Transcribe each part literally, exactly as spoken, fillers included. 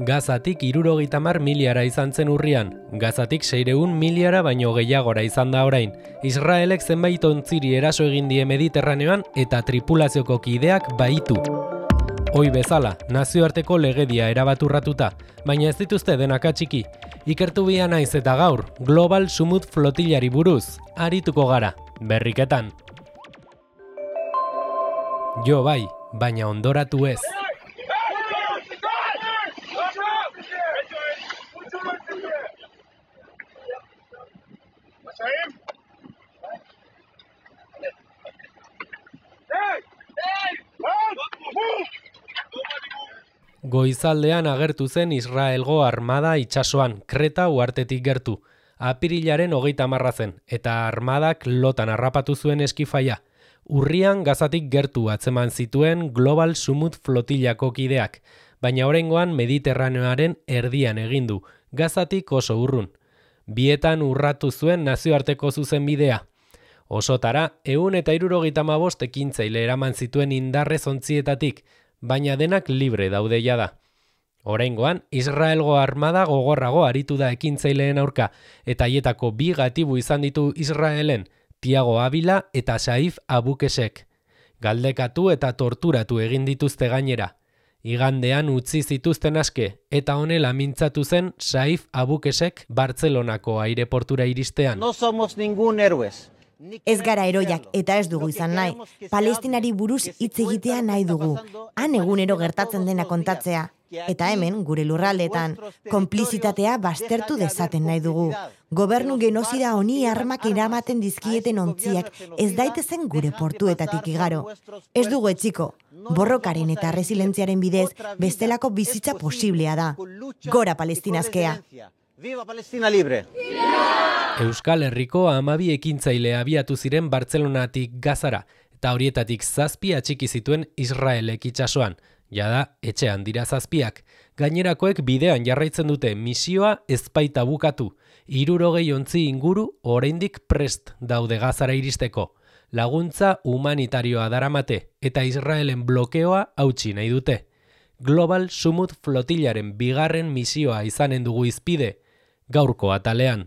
Gazatik hirurogeita hamar miliara izan zen urrian, Gazatik seiehun miliara baino gehiagora izan da orain. Israelek zenbait ontziri eraso egin die Mediterraneoan eta tripulazioko kideak bahitu. Hoi bezala, nazioarteko legedia erabaturratuta, baina ez dituzte denak atxiki. Ikertu bia naiz eta gaur, Global Sumut Flotillari buruz, arituko gara, berriketan. Jo bai, baina ondoratu ez. Goizaldean agertu zen Israelgo armada itsasoan, Kreta uhartetik gertu. Apirilaren hogeita hamarra zen, eta armadak lotan harrapatu zuen eskifaia. Urrian Gazatik gertu atzeman zituen Global Sumut Flotillako kideak, baina oraingoan Mediterraneoaren erdian egin du, Gazatik oso urrun. Bietan urratu zuen nazioarteko zuzenbidea. Osotara, ehun eta hirurogeita hamabost ekintzaile eraman zituen indarrez ontzietatik, baina denak libre daude jada. Oraingoan, Israelgo armada gogorrago aritu da ekintzaileen aurka, eta haietako bi gatibu izan ditu Israelen, Tiago Abila eta Saif Abukesek. Galdekatu eta torturatu egin dituzte gainera. Igandean utzi zituzten aske, eta honela mintzatu zen Saif Abukesek Bartzelonako aireportura iristean. No somos ningún héroes. Ez gara heroiak eta ez dugu izan nahi. Palestinari buruz hitz egitea nahi dugu. Han egunero gertatzen dena kontatzea. Eta hemen, gure lurraldeetan, konplizitatea baztertu dezaten nahi dugu. Gobernu genozida honi armak eramaten dizkieten ontziak ez daitezen gure portuetatik igaro. Ez dugu etxiko. Borrokaren eta resilentziaren bidez bestelako bizitza posiblea da. Gora Palestinazkea! Viva Palestina libre! Euskal Herriko hamabi ekintzaile abiatu ziren Bartzelonatik Gazara, eta horietatik zazpi atxiki zituen Israelek itsasoan. Jada, etxean dira zazpiak. Gainerakoek bidean jarraitzen dute misioa ezpaita bukatu. Hirurogei ontzi inguru oraindik prest daude Gazara iristeko. Laguntza humanitarioa daramate eta Israelen blokeoa hautsi nahi dute. Global Sumut Flotillaren bigarren misioa izanen dugu izpide, gaurko atalean.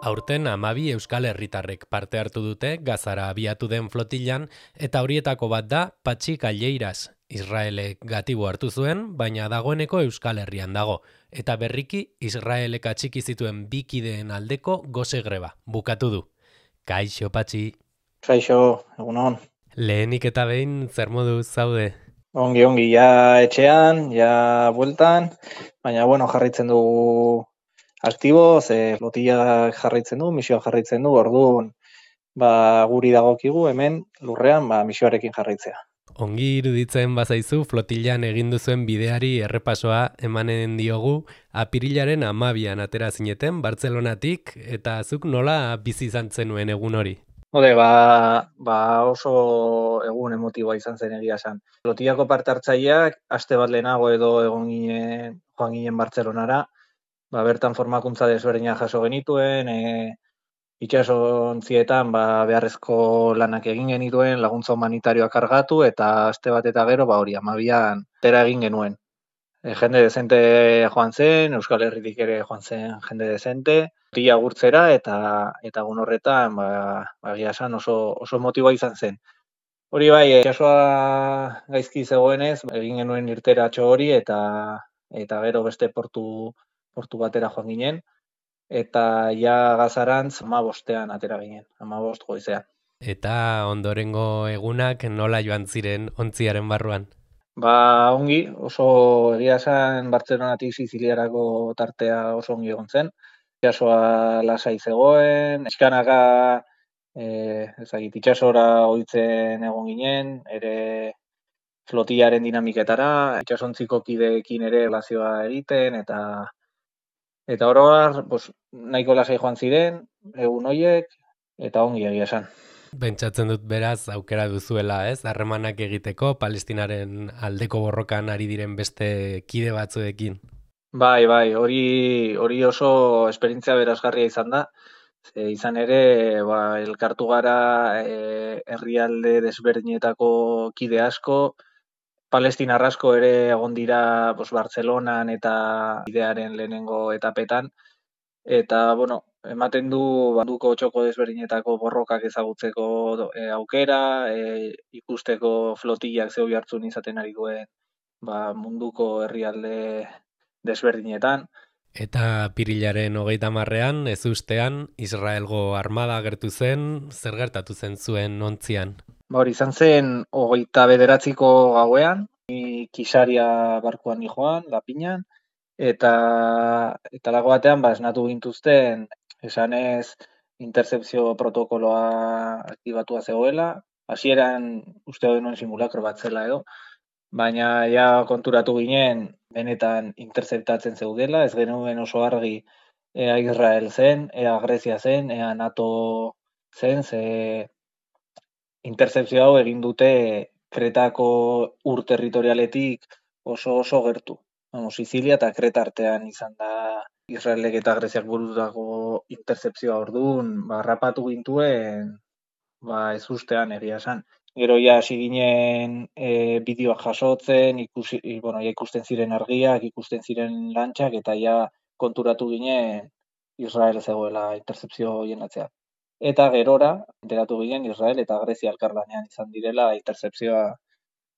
Aurten hamabi Euskal Herritarrek parte hartu dute Gazara abiatu den flotillan, eta horietako bat da Patxi Galleiras. Israelek gatibu hartu zuen, baina dagoeneko Euskal Herrian dago. Eta berriki Israelek atxiki zituen bikideen aldeko gose greba. Bukatu du. Kaixo, Patxi. Kaixo, egunon. Lehenik eta behin zer moduz zaude? Ongi, ongi, ja etxean, ja bueltan, baina bueno, jarraitzen dugu aktibo, ze flotilla jarraitzen du, misioa jarraitzen du, orduan ba, guri dagokigu hemen lurrean ba, misioarekin jarraitzea. Ongi iruditzen bazaizu flotillan egin duzuen bideari errepasoa emanen diogu, apirilaren hamabian atera zineten Bartzelonatik, eta zuk nola bizi izan zenuen egun hori? Hode, ba, ba oso egun emotiboa izan zen egia esan. Flotillako parte hartzaileak aste bat lehenago edo egon ginen, joan ginen Bartzelonara, ba, bertan formakuntza desberdina jaso genituen, e, itxasontzietan ba, beharrezko lanak egin genituen, laguntza humanitarioak kargatu, eta aste bat eta gero ba, hori hamabian tera egin genuen. E, jende dezente joan zen, Euskal Herritik ere joan zen jende dezente, tila gurtzera, eta eta egun horretan ba, ba, esan oso, oso motiboa izan zen. Hori bai, itxasoa gaizki zegoenez, egin genuen irteratxo hori, eta eta gero beste portu portu batera joan ginen, eta ja Gazarantz hamabostean atera ginen, hamabost goizean. Eta ondorengo egunak nola joan ziren ontziaren barruan? Ba, ongi, oso egia esan Bartzelonatik Siziliarako tartea oso ongi egon zen. Itxasoa lasai zegoen, eskanaka e, ezagit, itxasora ohitzen egon ginen, ere flotillaren dinamiketara, itxasontziko kideekin ere relazioa egiten, eta Eta oroar, pues, nahiko lasai joan ziren, egun horiek, eta ongi egia esan. Pentsatzen dut beraz aukera duzuela, ez? Harremanak egiteko, Palestinaren aldeko borrokan ari diren beste kide batzuekin. Bai, bai, hori hori oso esperientzia berazgarria izan da. Ze izan ere, ba, elkartu gara e, herrialde desberdinetako kide asko, Palestinar asko ere egon dira pues, Bartzelonan eta idearen lehenengo etapetan, eta, bueno, ematen du banduko txoko desberdinetako borrokak ezagutzeko e, aukera, e, ikusteko flotillak zeu jartzun izaten ari duen ba, munduko herrialde desberdinetan. Eta apirilaren hogeita marrean, ez ustean, Israelgo armada agertu zen, zer gertatu zen zuen ontzian? Ba, hori izan zen hogeita bederatziko gauean, ni Kisaria barkuan ni joan, Lapinan, eta eta lago batean ba esnatu gintuzten esanez interzepzio protokoloa aktibatua zegoela. Hasieran uste genuen simulakro bat zela edo, baina ja konturatu ginen benetan interzeptatzen zeudela, ez genuen oso argi ea Israel zen, ea Grezia zen, ea NATO zen, ze interzepzio hau egin dute Kretako ur territorialetik oso oso gertu. Vamos, Sizilia eta Kreta artean izan da Israelek eta Greziak burutako interzepzioa orduan, ba, rapatu gintuen, ba, ez ustean egia esan. Gero ja hasi ginen e, bideoak jasotzen, ikusi, bueno, ja ikusten ziren argiak, ikusten ziren lantxak, eta ja konturatu ginen Israel zegoela interzepzio hoien atzean. Eta gerora, enteratu ginen Israel eta Grezia elkarlanean izan direla interzepzioa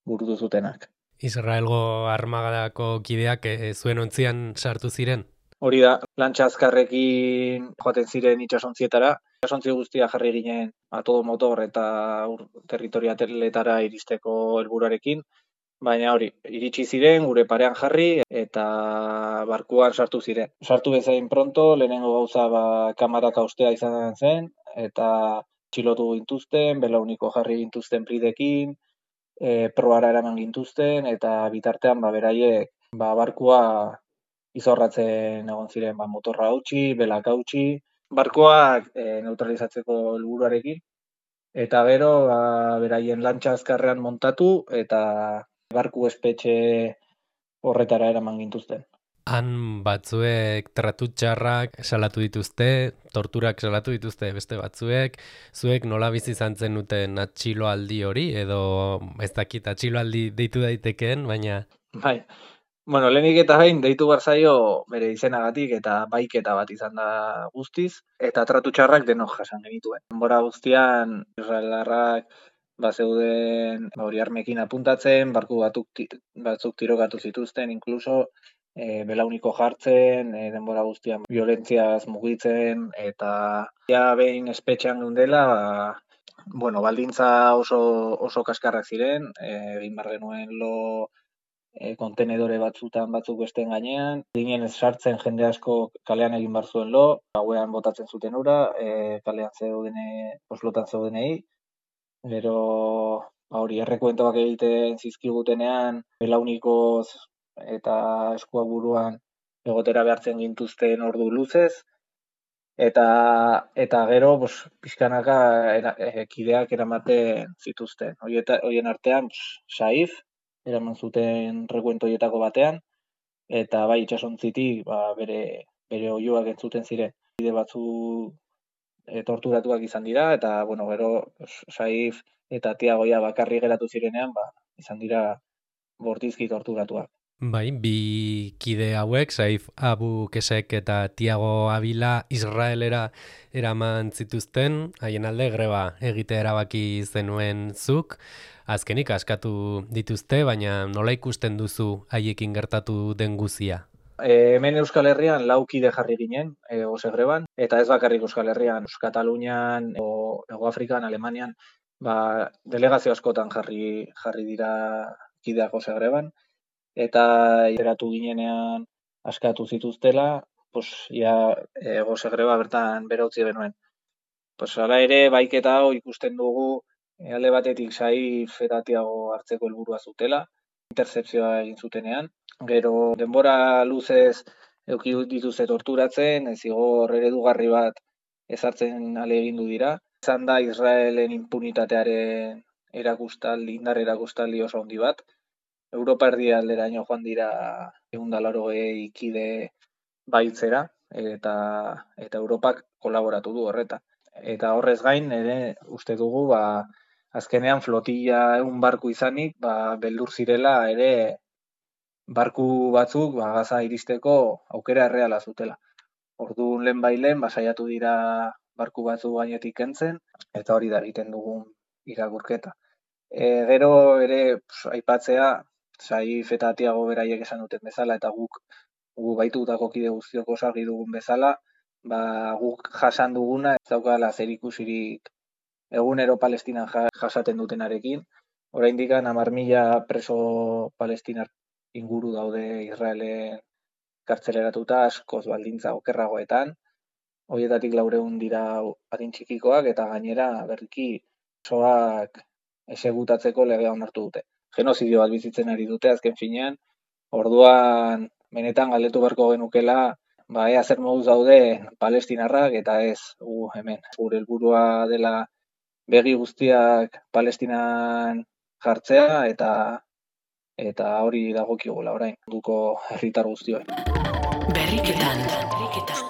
burutu zutenak. Israelgo armagadako kideak e, zuen ontzian sartu ziren? Hori da, lantxa azkarrekin joaten ziren itsasontzietara. Itsasontzi guztia jarri ginen a todo motor eta ur territorialetara iristeko helburuarekin, baina hori, iritsi ziren gure parean jarri eta barkuan sartu ziren. Sartu bezain pronto, lehenengo gauza ba kamarak haustea izan zen eta txilotu gintuzten, belauniko jarri gintuzten pridekin, e, proara eraman gintuzten eta bitartean ba beraiek ba barkua izorratzen egon ziren ba, motorra hautsi, belak hautsi, barkoak e, neutralizatzeko helburuarekin, eta gero ba, beraien lantxa azkarrean montatu eta barku espetxe horretara eraman gintuzten. Han batzuek tratu txarrak salatu dituzte, torturak salatu dituzte beste batzuek, zuek nola bizi izan zenuten atxiloaldi hori, edo ez dakit atxiloaldi deitu daitekeen, baina... Bai, bueno, lehenik eta behin deitu barzaio bere izenagatik eta baiketa bat izan da guztiz, eta tratu txarrak denok jasan genituen. Denbora guztian israelarrak ba zeuden hori armekin apuntatzen, barku batuk batzuk tirokatu zituzten, inkluso e, belauniko jartzen, e, denbora guztian violentziaz mugitzen, eta ja behin espetxean geundela, ba, bueno, baldintza oso, oso kaskarrak ziren, egin bar genuen lo e, kontenedore batzutan batzuk besteen gainean, ginen ez sartzen jende asko kalean egin bar zuen lo, gauean botatzen zuten ura, e, kalean zeudene, oslotan zeudenei, gero ba hori errekuentoak egiten zizkigutenean, belaunikoz eta eskua buruan egotera behartzen gintuzten ordu luzez, eta eta gero pues, pixkanaka era, e, kideak eramaten zituzten. Hoieta, hoien artean pues, Saif, eraman zuten rekuento hoietako batean, eta bai itsasontzitik ba, bere, bere oihuak entzuten ziren. Bide batzu e, torturatuak izan dira, eta bueno, gero pues, Saif eta Tiagoia bakarri geratu zirenean, ba, izan dira bortizki torturatuak. Bai, bi kide hauek, Saif Abu Kesek eta Tiago Avila Israelera eraman zituzten, haien alde greba egitea erabaki zenuen zuk, azkenik askatu dituzte, baina nola ikusten duzu haiekin gertatu den guzia? E, hemen Euskal Herrian lau kide jarri ginen, e, ose greban, eta ez bakarrik Euskal Herrian, Katalunian, o, Ego Afrikan, Alemanian, ba, delegazio askotan jarri, jarri dira kideak ose greban, eta eratu ginenean askatu zituztela, pues, ja, ego segreba bertan bera utzi benuen. Pues, hala ere, baiketa hau ikusten dugu, e, alde batetik Saif eta Tiago hartzeko helburua zutela, interzepzioa egin zutenean. Gero, denbora luzez eduki dituzte torturatzen, zigor eredugarri bat ezartzen ahalegindu dira. Izan da Israelen impunitatearen erakustaldi, indar erakustaldi oso handi bat. Europa erdialderaino joan dira ehun eta laurogei kide baitzera, eta eta Europak kolaboratu du horretan. Eta horrez gain ere uste dugu ba azkenean flotilla ehun barku izanik, ba beldur zirela ere barku batzuk ba Gaza iristeko aukera erreala zutela. Orduan lehen bailen ba saiatu dira barku batzu gainetik kentzen eta hori da egiten dugun irakurketa. E, gero ere pf, aipatzea Saif eta Tiago beraiek esan duten bezala eta guk gu baitutako kide guztiok osargi dugun bezala, ba guk jasan duguna ez daukala zerikusirik egunero Palestinan jasaten dutenarekin. Oraindik hamar mila preso palestinar inguru daude Israelen kartzeleratuta askoz baldintza okerragoetan. Horietatik laurehun dira adin txikikoak eta gainera berriki presoak exekutatzeko legea onartu dute. Genozidio bat bizitzen ari dute azken finean. Orduan benetan galdetu beharko genukela, ba ea zer moduz daude palestinarrak eta ez gu hemen. Gure helburua dela begi guztiak Palestinan jartzea eta eta hori dagokigula orain munduko herritar guztioi. Berriketan, berriketan.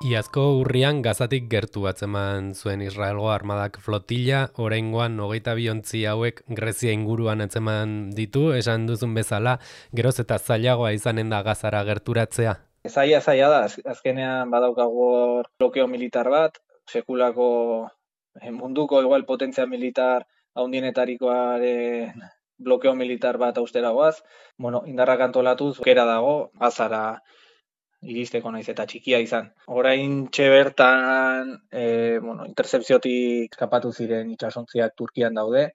Iazko urrian Gazatik gertu atzeman zuen Israelgo armadak flotilla, oraingoan hogeita bi ontzi hauek Grezia inguruan atzeman ditu, esan duzun bezala, geroz eta zailagoa izanen da Gazara gerturatzea. Zaila zaila da, azkenean badaukago blokeo militar bat, sekulako munduko igual potentzia militar handienetarikoaren blokeo militar bat austeragoaz, bueno, indarrak antolatuz, aukera dago, Gazara iristeko naiz eta txikia izan. Oraintxe bertan, e, bueno, interzepziotik eskapatu ziren itsasontziak Turkian daude.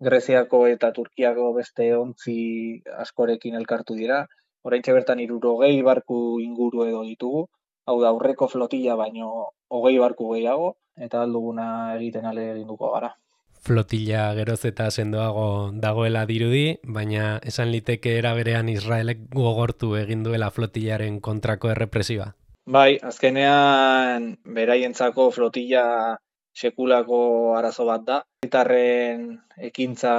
Greziako eta Turkiako beste ontzi askorekin elkartu dira. Oraintxe bertan hirurogei barku inguru edo ditugu. Hau da aurreko flotilla baino hogei barku gehiago eta alduguna egiten ale eginduko gara. Flotilla geroz eta sendoago dagoela dirudi, baina esan liteke era berean Israelek gogortu egin duela flotillaren kontrako errepresiba. Bai, azkenean beraientzako flotilla sekulako arazo bat da. Herritarren ekintza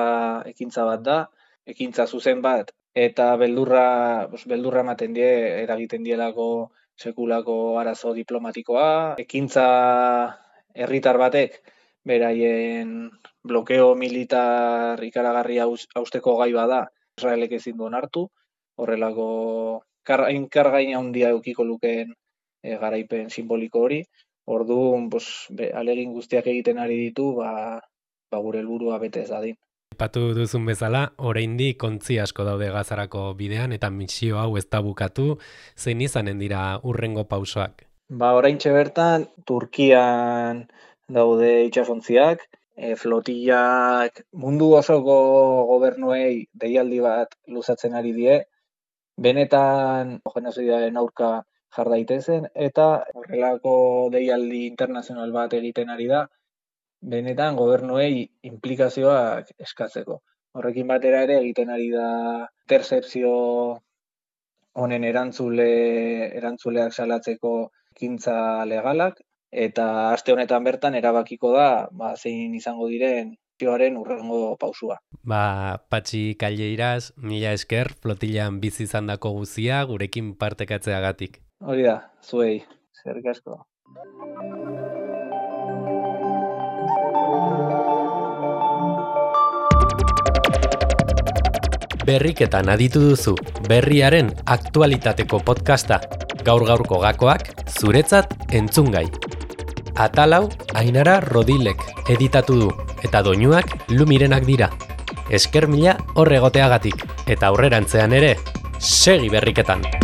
ekintza bat da, ekintza zuzen bat eta beldurra, pues, beldurra ematen die eragiten dielako sekulako arazo diplomatikoa, ekintza herritar batek beraien blokeo militar ikaragarria hausteko gai bada, Israelek ezin du onartu, horrelako kargaina handia edukiko lukeen e, garaipen simboliko hori. Orduan, pues, alegin guztiak egiten ari ditu, ba, ba gure helburua bete ez dadin. Aipatu duzun bezala, oraindik ontzi asko daude Gazarako bidean eta misio hau ez da bukatu, zein izanen dira hurrengo pausoak? Ba, oraintxe bertan Turkian daude itsasontziak, e, flotillak mundu osoko gobernuei deialdi bat luzatzen ari die, benetan genozidiaren aurka jar daitezen eta horrelako deialdi internazional bat egiten ari da, benetan gobernuei implikazioak eskatzeko. Horrekin batera ere egiten ari da interzepzio honen erantzule erantzuleak salatzeko ekintza legalak eta aste honetan bertan erabakiko da, ba, zein izango diren zioaren urrengo pausua. Ba, Patxi Kalleiras, mila esker, flotillan bizi izandako guzia gurekin partekatzeagatik. Hori da, zuei, eskerrik asko. Berriketan aditu duzu, berriaren aktualitateko podcasta. Gaur-gaurko gakoak, zuretzat entzungai. Atalau, Ainara Rodilek editatu du, eta doinuak Lumirenak dira. Esker mila horregoteagatik, eta aurrerantzean ere, segi berriketan!